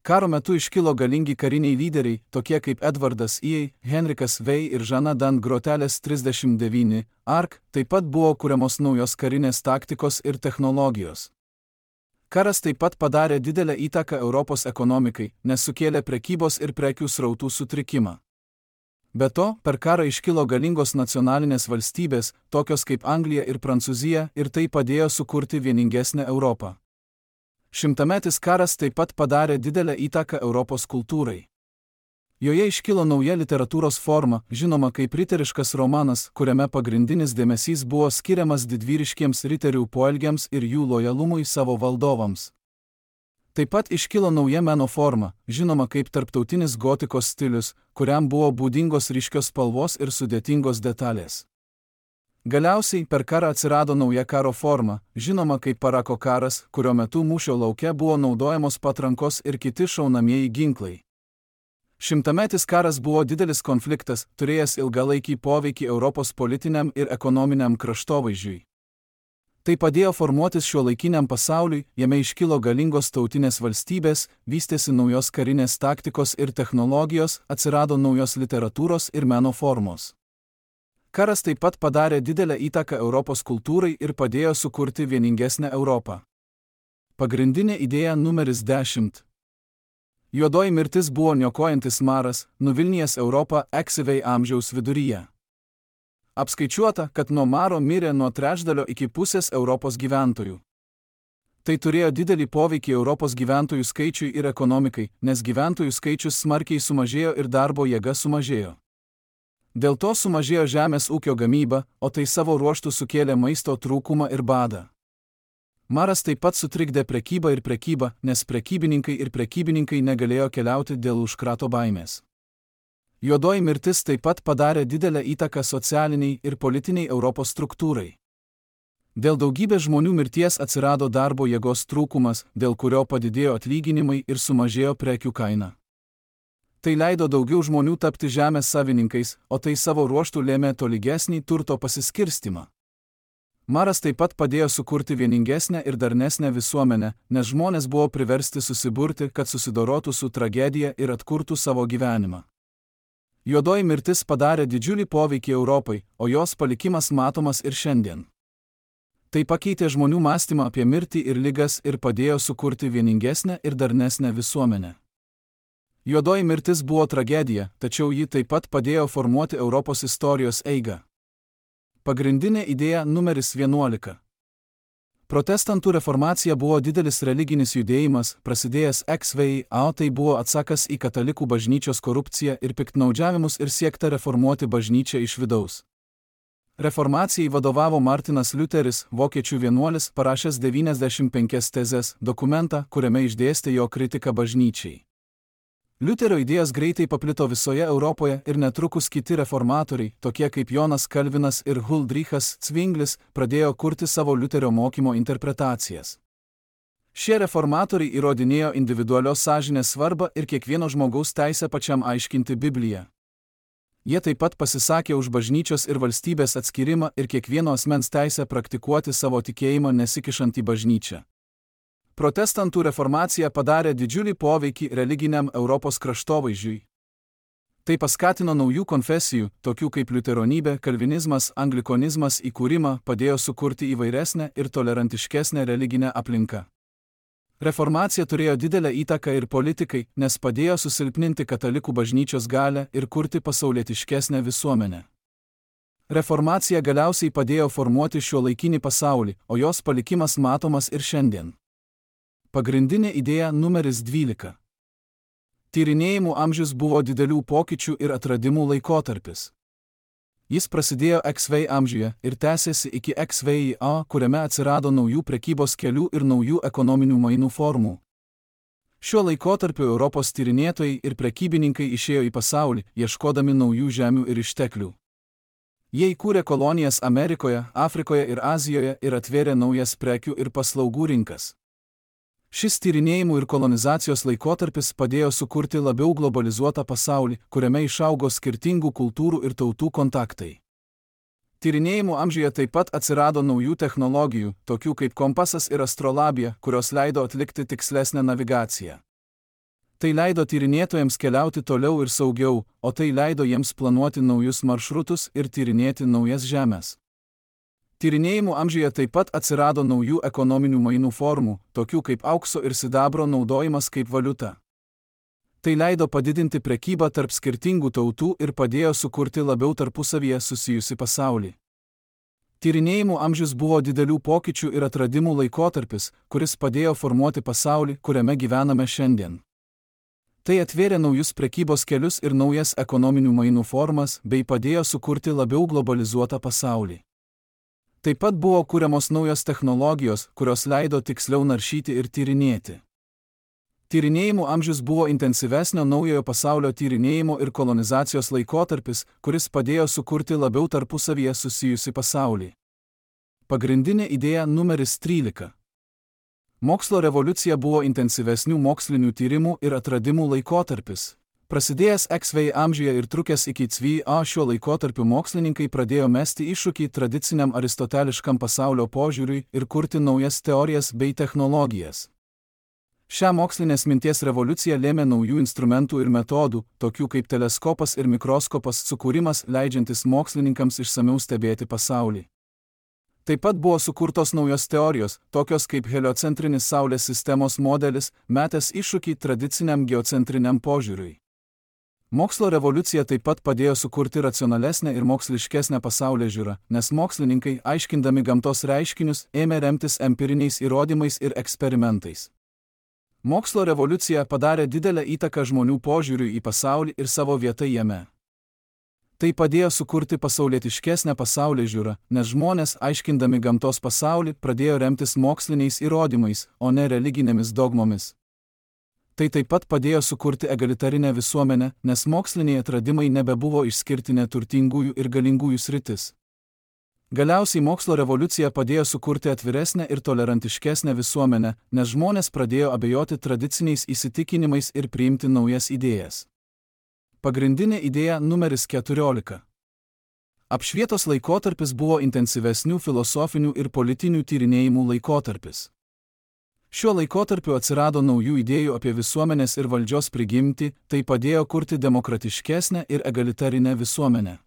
Karo metu iškilo galingi kariniai lyderiai, tokie kaip Edvardas I, Henrikas Vei ir Žana Dan Grotelės 39, Ark, taip pat buvo kuriamos naujos karinės taktikos ir technologijos. Karas taip pat padarė didelę įtaką Europos ekonomikai, nes sukėlė prekybos ir prekių srautų sutrikimą. Be to, per karą iškilo galingos nacionalinės valstybės, tokios kaip Anglija ir Prancūzija, ir tai padėjo sukurti vieningesnę Europą. Šimtametis karas taip pat padarė didelę įtaką Europos kultūrai. Joje iškilo nauja literatūros forma, žinoma kaip riteriškas romanas, kuriame pagrindinis dėmesys buvo skiriamas didvyriškiems riterių poelgiams ir jų lojalumui savo valdovams. Taip pat iškilo nauja meno forma, žinoma kaip tarptautinis gotikos stilius, kuriam buvo būdingos ryškios spalvos ir sudėtingos detalės. Galiausiai per karą atsirado nauja karo forma, žinoma kaip parako karas, kurio metu mūšio lauke buvo naudojamos patrankos ir kiti šaunamieji ginklai. Šimtametis karas buvo didelis konfliktas, turėjęs ilgalaikį poveikį Europos politiniam ir ekonominiam kraštovaizdžiui. Tai padėjo formuotis šiuolaikiniam pasauliui, jame iškilo galingos tautinės valstybės, vystėsi naujos karinės taktikos ir technologijos, atsirado naujos literatūros ir meno formos. Karas taip pat padarė didelę įtaką Europos kultūrai ir padėjo sukurti vieningesnę Europą. Pagrindinė idėja numeris 10. Juodoji mirtis buvo niokojantis maras, nuvilnijęs Europą XV amžiaus viduryje. Apskaičiuota, kad nuo maro mirė nuo trečdalio iki pusės Europos gyventojų. Tai turėjo didelį poveikį Europos gyventojų skaičiui ir ekonomikai, nes gyventojų skaičius smarkiai sumažėjo ir darbo jėga sumažėjo. Dėl to sumažėjo žemės ūkio gamyba, o tai savo ruožtu sukėlė maisto trūkumą ir badą. Maras taip pat sutrikdė prekybą, nes prekybininkai negalėjo keliauti dėl užkrato baimės. Juodoji mirtis taip pat padarė didelę įtaką socialiniai ir politiniai Europos struktūrai. Dėl daugybės žmonių mirties atsirado darbo jėgos trūkumas, dėl kurio padidėjo atlyginimai ir sumažėjo prekių kaina. Tai leido daugiau žmonių tapti žemės savininkais, o tai savo ruožtu lėmė tolygesnį turto pasiskirstimą. Maras taip pat padėjo sukurti vieningesnę ir darnesnę visuomenę, nes žmonės buvo priversti susiburti, kad susidorotų su tragedija ir atkurtų savo gyvenimą. Juodoji mirtis padarė didžiulį poveikį Europai, o jos palikimas matomas ir šiandien. Tai pakeitė žmonių mąstymą apie mirtį ir ligas ir padėjo sukurti vieningesnę ir darnesnę visuomenę. Juodoji mirtis buvo tragedija, tačiau ji taip pat padėjo formuoti Europos istorijos eigą. Pagrindinė idėja numeris 11. Protestantų reformacija buvo didelis religinis judėjimas, prasidėjęs XV, tai buvo atsakas į katalikų bažnyčios korupciją ir piktnaudžiavimus ir siekta reformuoti bažnyčią iš vidaus. Reformacijai vadovavo Martinas Liuteris, vokiečių vienuolis, parašęs 95 tezes, dokumentą, kuriame išdėstė jo kritiką bažnyčiai. Liuterio idėjos greitai paplito visoje Europoje ir netrukus kiti reformatoriai, tokie kaip Jonas Kalvinas ir Huldrychas Cvinglis, pradėjo kurti savo Liuterio mokymo interpretacijas. Šie reformatoriai įrodinėjo individualios sąžinės svarbą ir kiekvieno žmogaus teisę pačiam aiškinti Bibliją. Jie taip pat pasisakė už bažnyčios ir valstybės atskirimą ir kiekvieno asmens teisę praktikuoti savo tikėjimą nesikišant į bažnyčią. Protestantų reformacija padarė didžiulį poveikį religiniam Europos kraštovaizdžiui. Tai paskatino naujų konfesijų, tokių kaip liuteronybė, kalvinizmas, anglikonizmas įkūrimą, padėjo sukurti įvairesnę ir tolerantiškesnę religinę aplinką. Reformacija turėjo didelę įtaką ir politikai, nes padėjo susilpninti katalikų bažnyčios galią ir kurti pasaulietiškesnę visuomenę. Reformacija galiausiai padėjo formuoti šiuolaikinį pasaulį, o jos palikimas matomas ir šiandien. Pagrindinė idėja numeris 12. Tyrinėjimų amžius buvo didelių pokyčių ir atradimų laikotarpis. Jis prasidėjo XV amžiuje ir tęsėsi iki XVIA, kuriame atsirado naujų prekybos kelių ir naujų ekonominių mainų formų. Šiuo laikotarpiu Europos tyrinėtojai ir prekybininkai išėjo į pasaulį, ieškodami naujų žemių ir išteklių. Jie įkūrė kolonijas Amerikoje, Afrikoje ir Azijoje ir atvėrė naujas prekių ir paslaugų rinkas. Šis tyrinėjimų ir kolonizacijos laikotarpis padėjo sukurti labiau globalizuotą pasaulį, kuriame išaugo skirtingų kultūrų ir tautų kontaktai. Tyrinėjimų amžiuje taip pat atsirado naujų technologijų, tokių kaip kompasas ir astrolabija, kurios leido atlikti tikslesnę navigaciją. Tai leido tyrinėtojams keliauti toliau ir saugiau, o tai leido jiems planuoti naujus maršrutus ir tyrinėti naujas žemes. Tyrinėjimų amžiuje taip pat atsirado naujų ekonominių mainų formų, tokių kaip aukso ir sidabro naudojimas kaip valiuta. Tai leido padidinti prekybą tarp skirtingų tautų ir padėjo sukurti labiau tarpusavyje susijusi pasaulį. Tyrinėjimų amžius buvo didelių pokyčių ir atradimų laikotarpis, kuris padėjo formuoti pasaulį, kuriame gyvename šiandien. Tai atvėrė naujus prekybos kelius ir naujas ekonominių mainų formas, bei padėjo sukurti labiau globalizuotą pasaulį. Taip pat buvo kuriamos naujos technologijos, kurios leido tiksliau naršyti ir tyrinėti. Tyrinėjimų amžius buvo intensyvesnio naujojo pasaulio tyrinėjimo ir kolonizacijos laikotarpis, kuris padėjo sukurti labiau tarpusavyje susijusi pasaulį. Pagrindinė idėja numeris 13. Mokslo revoliucija buvo intensyvesnių mokslinių tyrimų ir atradimų laikotarpis. Prasidėjęs XV amžiuje ir trukęs iki XVA šiuo laikotarpiu mokslininkai pradėjo mesti iššūkį tradiciniam aristoteliškam pasaulio požiūriui ir kurti naujas teorijas bei technologijas. Šią mokslinės minties revoliuciją lėmė naujų instrumentų ir metodų, tokių kaip teleskopas ir mikroskopas sukūrimas, leidžiantis mokslininkams išsamiau stebėti pasaulį. Taip pat buvo sukurtos naujos teorijos, tokios kaip heliocentrinis Saulės sistemos modelis, metęs iššūkį tradiciniam geocentriniam požiūriui. Mokslo revoliucija taip pat padėjo sukurti racionalesnę ir moksliškesnę pasaulėžiūrą, nes mokslininkai, aiškindami gamtos reiškinius, ėmė remtis empiriniais įrodymais ir eksperimentais. Mokslo revoliucija padarė didelę įtaką žmonių požiūriui į pasaulį ir savo vietą jame. Tai padėjo sukurti pasaulietiškesnę pasaulėžiūrą, nes žmonės, aiškindami gamtos pasaulį, pradėjo remtis moksliniais įrodymais, o ne religinėmis dogmomis. Tai taip pat padėjo sukurti egalitarinę visuomenę, nes moksliniai atradimai nebebuvo išskirtinė turtingųjų ir galingųjų sritis. Galiausiai mokslo revoliucija padėjo sukurti atviresnę ir tolerantiškesnę visuomenę, nes žmonės pradėjo abejoti tradiciniais įsitikinimais ir priimti naujas idėjas. Pagrindinė idėja numeris 14. Apšvietos laikotarpis buvo intensyvesnių filosofinių ir politinių tyrinėjimų laikotarpis. Šiuo laikotarpiu atsirado naujų idėjų apie visuomenės ir valdžios prigimtį, tai padėjo kurti demokratiškesnę ir egalitarinę visuomenę.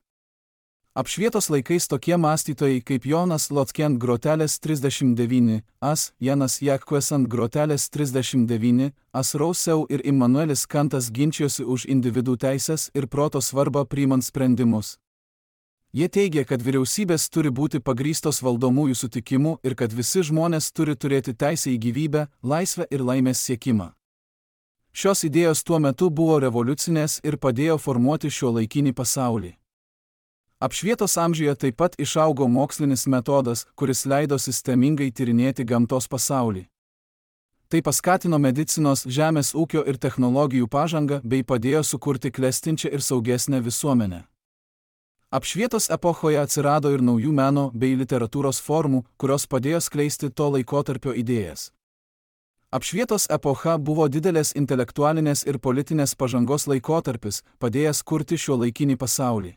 Apšvietos laikais tokie mąstytojai kaip Jonas Lotkent Grotelės 39, As, Janas Jakquesant Grotelės 39, As Rousseau ir Immanuelis Kantas ginčijosi už individų teisės ir proto svarbą priimant sprendimus. Jie teigia, kad vyriausybės turi būti pagrįstos valdomųjų sutikimu ir kad visi žmonės turi turėti teisę į gyvybę, laisvę ir laimės siekimą. Šios idėjos tuo metu buvo revoliucinės ir padėjo formuoti šiuolaikinį pasaulį. Apšvietos amžiuje taip pat išaugo mokslinis metodas, kuris leido sistemingai tyrinėti gamtos pasaulį. Tai paskatino medicinos, žemės ūkio ir technologijų pažangą bei padėjo sukurti klestinčią ir saugesnę visuomenę. Apšvietos epochoje atsirado ir naujų meno bei literatūros formų, kurios padėjo skleisti to laikotarpio idėjas. Apšvietos epocha buvo didelės intelektualinės ir politinės pažangos laikotarpis, padėjęs kurti šiuolaikinį pasaulį.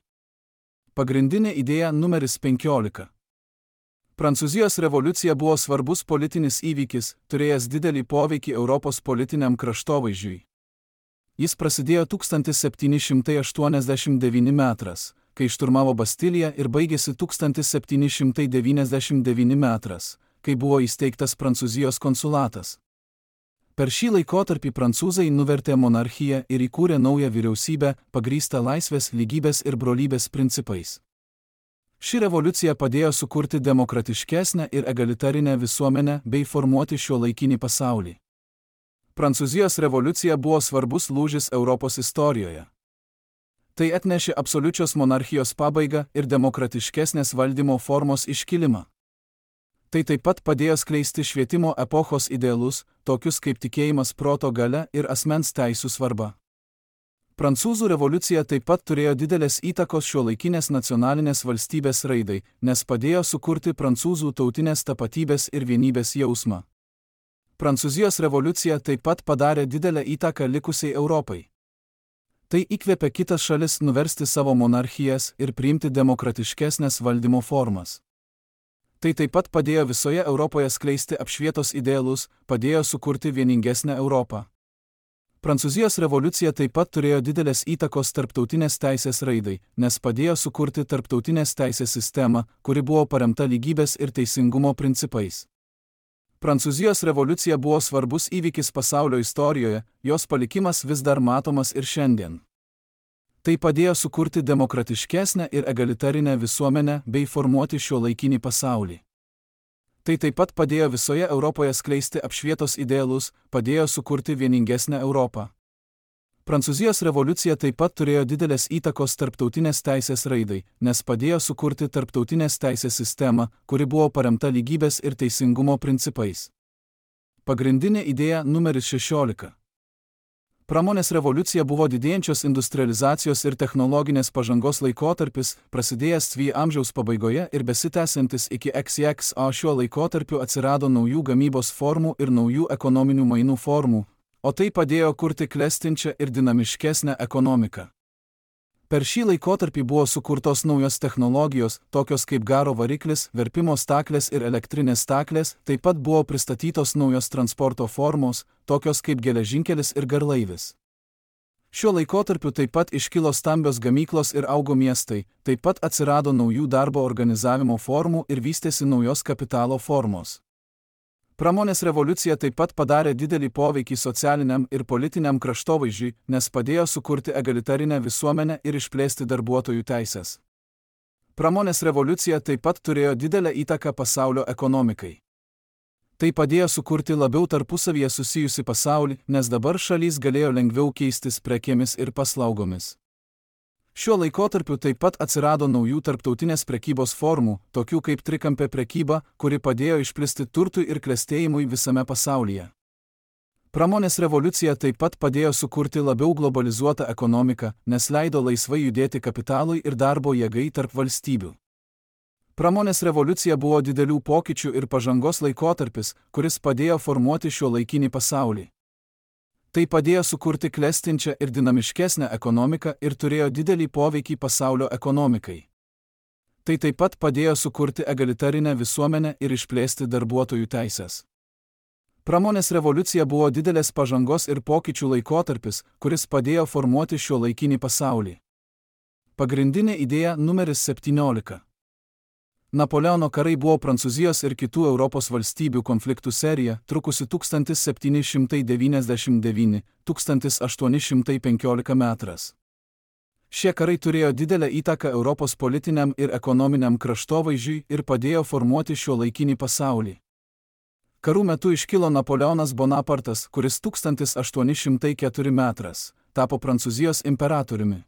Pagrindinė idėja numeris 15. Prancūzijos revoliucija buvo svarbus politinis įvykis, turėjęs didelį poveikį Europos politiniam kraštovaizdžiui. Jis prasidėjo 1789 metras, kai šturmavo Bastiliją ir baigėsi 1799 metras, kai buvo įsteigtas Prancūzijos konsulatas. Per šį laikotarpį prancūzai nuvertė monarchiją ir įkūrė naują vyriausybę, pagrįstą laisvės, lygybės ir brolybės principais. Ši revoliucija padėjo sukurti demokratiškesnę ir egalitarinę visuomenę bei formuoti šiuolaikinį pasaulį. Prancūzijos revoliucija buvo svarbus lūžis Europos istorijoje. Tai atnešė absoliučios monarchijos pabaigą ir demokratiškesnės valdymo formos iškilimą. Tai taip pat padėjo skleisti švietimo epochos idealus, tokius kaip tikėjimas proto galia ir asmens teisų svarba. Prancūzų revoliucija taip pat turėjo didelės įtakos šiuolaikinės nacionalinės valstybės raidai, nes padėjo sukurti prancūzų tautinės tapatybės ir vienybės jausmą. Prancūzijos revoliucija taip pat padarė didelę įtaką likusiai Europai. Tai įkvėpė kitas šalis nuversti savo monarchijas ir priimti demokratiškesnės valdymo formas. Tai taip pat padėjo visoje Europoje skleisti apšvietos idealus, padėjo sukurti vieningesnę Europą. Prancūzijos revoliucija taip pat turėjo didelės įtakos tarptautinės teisės raidai, nes padėjo sukurti tarptautinės teisės sistemą, kuri buvo paremta lygybės ir teisingumo principais. Prancūzijos revoliucija buvo svarbus įvykis pasaulio istorijoje, jos palikimas vis dar matomas ir šiandien. Tai padėjo sukurti demokratiškesnę ir egalitarinę visuomenę bei formuoti šiuolaikinį pasaulį. Tai taip pat padėjo visoje Europoje skleisti apšvietos idealus, padėjo sukurti vieningesnę Europą. Prancūzijos revoliucija taip pat turėjo didelės įtakos tarptautinės teisės raidai, nes padėjo sukurti tarptautinės teisės sistemą, kuri buvo paremta lygybės ir teisingumo principais. Pagrindinė idėja numeris 16. Pramonės revoliucija buvo didėjančios industrializacijos ir technologinės pažangos laikotarpis, prasidėjęs XX amžiaus pabaigoje ir besitęsiantis iki XX, o šiuo laikotarpiu atsirado naujų gamybos formų ir naujų ekonominių mainų formų, o tai padėjo kurti klestinčią ir dinamiškesnę ekonomiką. Per šį laikotarpį buvo sukurtos naujos technologijos, tokios kaip garo variklis, verpimo staklės ir elektrinės staklės, taip pat buvo pristatytos naujos transporto formos, tokios kaip geležinkelis ir garlaivis. Šiuo laikotarpiu taip pat iškilo stambios gamyklos ir augo miestai, taip pat atsirado naujų darbo organizavimo formų ir vystėsi naujos kapitalo formos. Pramonės revoliucija taip pat padarė didelį poveikį socialiniam ir politiniam kraštovaizdžiui, nes padėjo sukurti egalitarinę visuomenę ir išplėsti darbuotojų teises. Pramonės revoliucija taip pat turėjo didelę įtaką pasaulio ekonomikai. Tai padėjo sukurti labiau tarpusavyje susijusi pasaulį, nes dabar šalys galėjo lengviau keistis prekėmis ir paslaugomis. Šiuo laikotarpiu taip pat atsirado naujų tarptautinės prekybos formų, tokių kaip trikampė prekyba, kuri padėjo išplisti turtui ir klestėjimui visame pasaulyje. Pramonės revoliucija taip pat padėjo sukurti labiau globalizuotą ekonomiką, nes leido laisvai judėti kapitalui ir darbo jėgai tarp valstybių. Pramonės revoliucija buvo didelių pokyčių ir pažangos laikotarpis, kuris padėjo formuoti šiuolaikinį pasaulį. Tai padėjo sukurti klestinčią ir dinamiškesnę ekonomiką ir turėjo didelį poveikį pasaulio ekonomikai. Tai taip pat padėjo sukurti egalitarinę visuomenę ir išplėsti darbuotojų teises. Pramonės revoliucija buvo didelės pažangos ir pokyčių laikotarpis, kuris padėjo formuoti šiuolaikinį pasaulį. Pagrindinė idėja numeris 17. Napoleono karai buvo Prancūzijos ir kitų Europos valstybių konfliktų serija, trukusi 1799–1815 metras. Šie karai turėjo didelę įtaką Europos politiniam ir ekonominiam kraštovaizdžiui ir padėjo formuoti šiuolaikinį pasaulį. Karų metu iškilo Napoleonas Bonapartas, kuris 1804 metras tapo Prancūzijos imperatoriumi.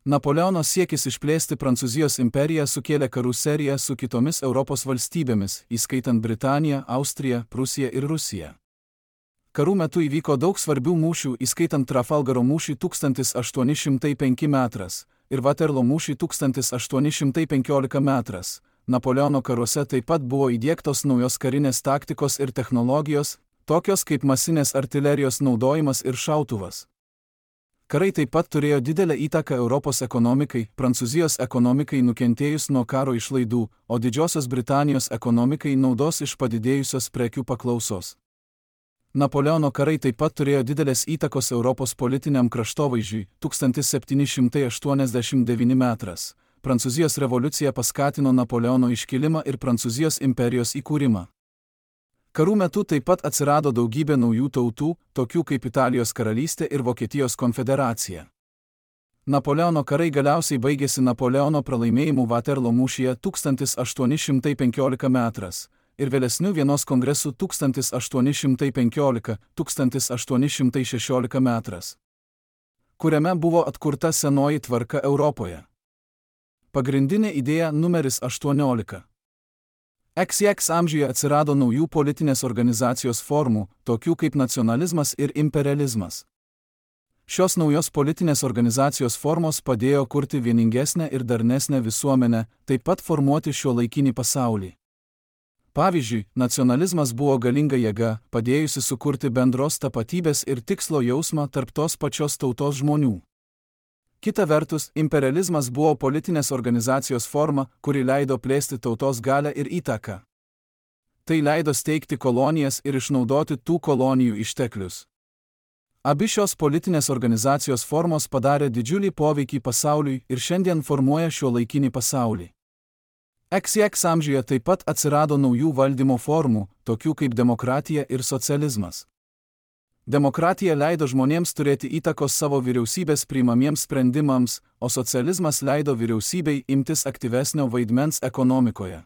Napoleono siekis išplėsti Prancūzijos imperiją sukėlė karų seriją su kitomis Europos valstybėmis, įskaitant Britaniją, Austriją, Prūsiją ir Rusiją. Karų metu įvyko daug svarbių mūšių, įskaitant Trafalgaro mūšį 1805 metras ir Vaterlo mūšį 1815 metras. Napoleono karuose taip pat buvo įdiegtos naujos karinės taktikos ir technologijos, tokios kaip masinės artilerijos naudojimas ir šautuvas. Karai taip pat turėjo didelę įtaką Europos ekonomikai, Prancūzijos ekonomikai nukentėjus nuo karo išlaidų, o Didžiosios Britanijos ekonomikai naudos iš padidėjusios prekių paklausos. Napoleono karai taip pat turėjo didelės įtakos Europos politiniam kraštovaizdžiui 1789 metras. Prancūzijos revoliucija paskatino Napoleono iškilimą ir Prancūzijos imperijos įkūrimą. Karų metu taip pat atsirado daugybė naujų tautų, tokių kaip Italijos karalystė ir Vokietijos konfederacija. Napoleono karai galiausiai baigėsi Napoleono pralaimėjimu Vaterlo mūšyje 1815 metras ir vėlesniu Vienos kongresu 1815–1816 metras, kuriame buvo atkurta senoji tvarka Europoje. Pagrindinė idėja numeris 18. XX amžiuje atsirado naujų politinės organizacijos formų, tokių kaip nacionalizmas ir imperializmas. Šios naujos politinės organizacijos formos padėjo kurti vieningesnę ir darnesnę visuomenę, taip pat formuoti šiuolaikinį pasaulį. Pavyzdžiui, nacionalizmas buvo galinga jėga, padėjusi sukurti bendros tapatybės ir tikslo jausmą tarp tos pačios tautos žmonių. Kita vertus, imperializmas buvo politinės organizacijos forma, kuri leido plėsti tautos galią ir įtaką. Tai leido steigti kolonijas ir išnaudoti tų kolonijų išteklius. Abi šios politinės organizacijos formos padarė didžiulį poveikį pasauliui ir šiandien formuoja šiuolaikinį pasaulį. XX amžiuje taip pat atsirado naujų valdymo formų, tokių kaip demokratija ir socializmas. Demokratija leido žmonėms turėti įtakos savo vyriausybės priimamiems sprendimams, o socializmas leido vyriausybei imtis aktyvesnio vaidmens ekonomikoje.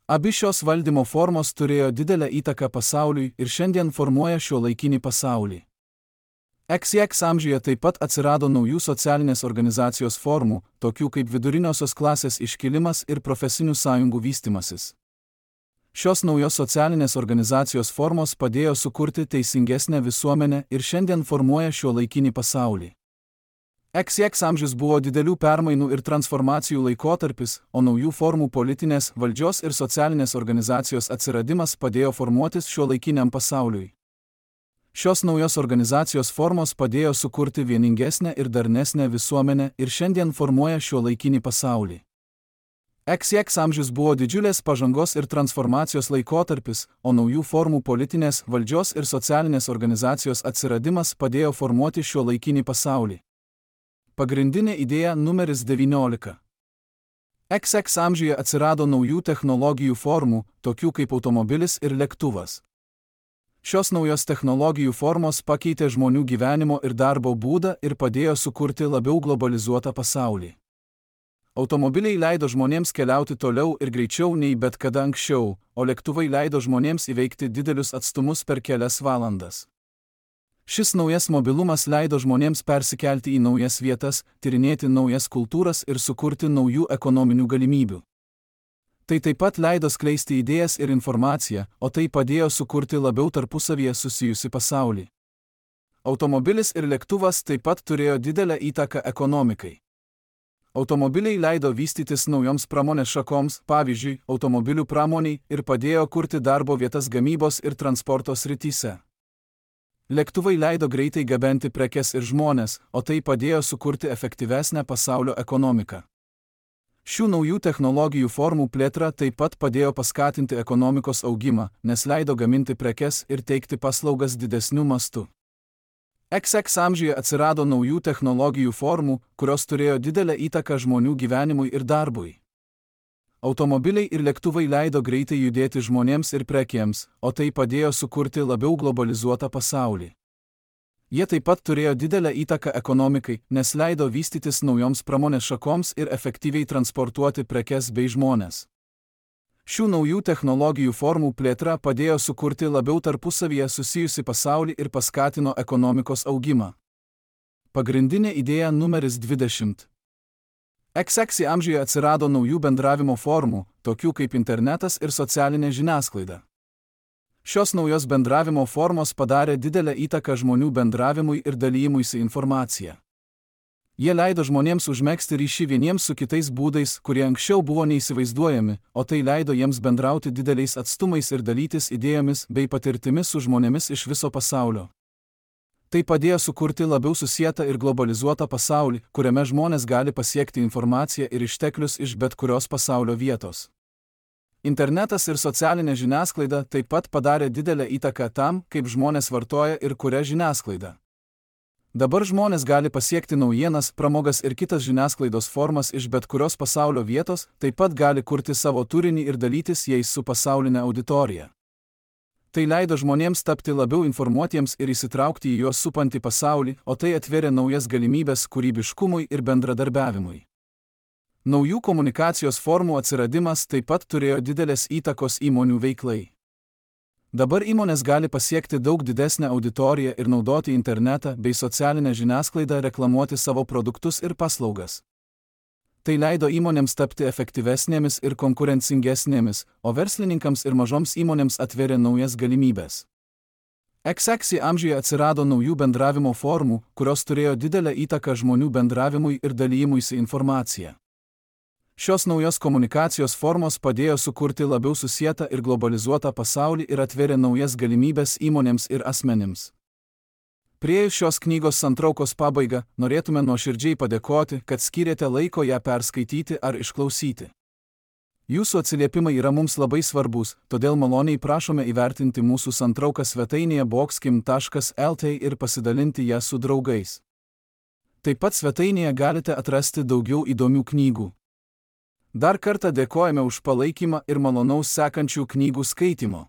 Abi šios valdymo formos turėjo didelę įtaką pasauliui ir šiandien formuoja šiuolaikinį pasaulį. XX amžiuje taip pat atsirado naujų socialinės organizacijos formų, tokių kaip viduriniosios klasės iškilimas ir profesinių sąjungų vystymasis. Šios naujos socialinės organizacijos formos padėjo sukurti teisingesnę visuomenę ir šiandien formuoja šiuolaikinį pasaulį. XX amžius buvo didelių permainų ir transformacijų laikotarpis, o naujų formų politinės, valdžios ir socialinės organizacijos atsiradimas padėjo formuotis šiuolaikiniam pasauliui. Šios naujos organizacijos formos padėjo sukurti vieningesnę ir darnesnę visuomenę ir šiandien formuoja šiuolaikinį pasaulį. XX amžius buvo didžiulės pažangos ir transformacijos laikotarpis, o naujų formų politinės, valdžios ir socialinės organizacijos atsiradimas padėjo formuoti šiuolaikinį pasaulį. Pagrindinė idėja numeris 19. XX amžiuje atsirado naujų technologijų formų, tokių kaip automobilis ir lėktuvas. Šios naujos technologijų formos pakeitė žmonių gyvenimo ir darbo būdą ir padėjo sukurti labiau globalizuotą pasaulį. Automobiliai leido žmonėms keliauti toliau ir greičiau nei bet kada anksčiau, o lėktuvai leido žmonėms įveikti didelius atstumus per kelias valandas. Šis naujas mobilumas leido žmonėms persikelti į naujas vietas, tyrinėti naujas kultūras ir sukurti naujų ekonominių galimybių. Tai taip pat leido skleisti idėjas ir informaciją, o tai padėjo sukurti labiau tarpusavyje susijusi pasaulį. Automobilis ir lėktuvas taip pat turėjo didelę įtaką ekonomikai. Automobiliai leido vystytis naujoms pramonės šakoms, pavyzdžiui, automobilių pramoniai, ir padėjo kurti darbo vietas gamybos ir transporto srityse. Lėktuvai leido greitai gabenti prekes ir žmones, o tai padėjo sukurti efektyvesnę pasaulio ekonomiką. Šių naujų technologijų formų plėtra taip pat padėjo paskatinti ekonomikos augimą, nes leido gaminti prekes ir teikti paslaugas didesniu mastu. XX amžiuje atsirado naujų technologijų formų, kurios turėjo didelę įtaką žmonių gyvenimui ir darbui. Automobiliai ir lėktuvai leido greitai judėti žmonėms ir prekėms, o tai padėjo sukurti labiau globalizuotą pasaulį. Jie taip pat turėjo didelę įtaką ekonomikai, nes leido vystytis naujoms pramonės šakoms ir efektyviai transportuoti prekes bei žmones. Šių naujų technologijų formų plėtra padėjo sukurti labiau tarpusavyje susijusi pasaulį ir paskatino ekonomikos augimą. Pagrindinė idėja numeris 20. XX amžiuje atsirado naujų bendravimo formų, tokių kaip internetas ir socialinė žiniasklaida. Šios naujos bendravimo formos padarė didelę įtaką žmonių bendravimui ir dalyjimuisi informacija. Jie leido žmonėms užmegzti ryšį vieniems su kitais būdais, kurie anksčiau buvo neįsivaizduojami, o tai leido jiems bendrauti dideliais atstumais ir dalytis idėjomis bei patirtimis su žmonėmis iš viso pasaulio. Tai padėjo sukurti labiau susietą ir globalizuotą pasaulį, kuriame žmonės gali pasiekti informaciją ir išteklius iš bet kurios pasaulio vietos. Internetas ir socialinė žiniasklaida taip pat padarė didelę įtaką tam, kaip žmonės vartoja ir kuria žiniasklaidą. Dabar žmonės gali pasiekti naujienas, pramogas ir kitas žiniasklaidos formas iš bet kurios pasaulio vietos, taip pat gali kurti savo turinį ir dalytis jais su pasaulinė auditorija. Tai leido žmonėms tapti labiau informuotiems ir įsitraukti į juos supantį pasaulį, o tai atvėrė naujas galimybės kūrybiškumui ir bendradarbiavimui. Naujų komunikacijos formų atsiradimas taip pat turėjo didelės įtakos įmonių veiklai. Dabar įmonės gali pasiekti daug didesnę auditoriją ir naudoti internetą bei socialinę žiniasklaidą reklamuoti savo produktus ir paslaugas. Tai leido įmonėms tapti efektyvesnėmis ir konkurencingesnėmis, o verslininkams ir mažoms įmonėms atvėrė naujas galimybės. XX amžiuje atsirado naujų bendravimo formų, kurios turėjo didelę įtaką žmonių bendravimui ir dalyjimuisi informacija. Šios naujos komunikacijos formos padėjo sukurti labiau susietą ir globalizuotą pasaulį ir atvėrė naujas galimybės įmonėms ir asmenims. Priėjus šios knygos santraukos pabaigą, norėtume nuoširdžiai padėkoti, kad skyrėte laiko ją perskaityti ar išklausyti. Jūsų atsiliepimai yra mums labai svarbus, todėl maloniai prašome įvertinti mūsų santrauką svetainėje boxkim.lt ir pasidalinti ją su draugais. Taip pat svetainėje galite atrasti daugiau įdomių knygų. Dar kartą dėkojame už palaikymą ir malonaus sekančių knygų skaitimo.